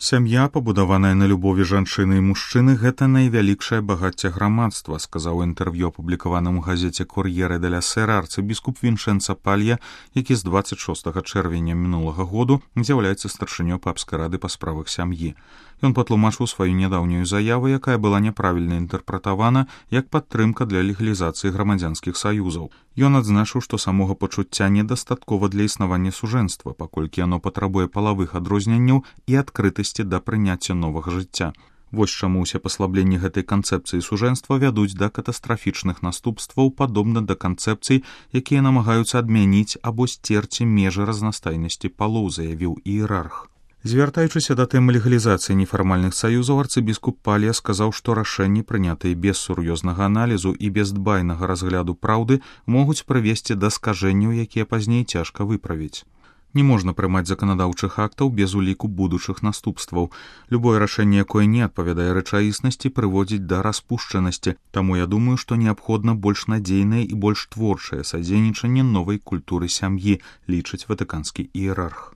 Сям'я, пабудаваная на любові жанчыны і мужчыны, гэта найвялікшае багацце грамадства, сказаў у інтэрв'ю, апублікаваным у газеце «Кор'єре деля Сера» арцыбіскуп Віншэнца Палья, які з 26 чэрвеня мінулага году з'яўляецца старшынёй папскай рады па справах сям'і. Ён патлумачыў сваю нядаўнюю заяву, якая была няправільна інтэрпрэтавана як падтрымка для легалізацыі грамадзянскіх саюзаў. Ён адзначыў, што самога пачуцця недастаткова для існавання сужэнства, паколькі яно патрабуе палавых адрозненняў і адкрытасці да прыняцця новага жыцця. Вось чаму ўсе паслабленні гэтай канцэпцыі сужэнства вядуць да катастрафічных наступстваў, падобна да канцэпцый, якія намагаюцца адмяніць або сцерці межы разнастайнасці палоў, заявіў іерарх. Звяртаючыся да тэмы легалізацыі нефармальных саюзаў, арцыбіскуп Палья сказаў, што рашэнні, прынятыя без сур'ёзнага аналізу і без дбайнага разгляду праўды, могуць прывесці да скажэнняў, якія пазней цяжка выправіць. Не можна прымаць заканадаўчых актаў без уліку будучых наступстваў. Любое рашэнне, якое не адпавядае рэчаіснасці, прыводзіць да распушчанасці. Таму я думаю, што неабходна больш надзейнае і больш творчае садзейнічанне новай культуры сям'і, лічыць ватыканскі іерарх.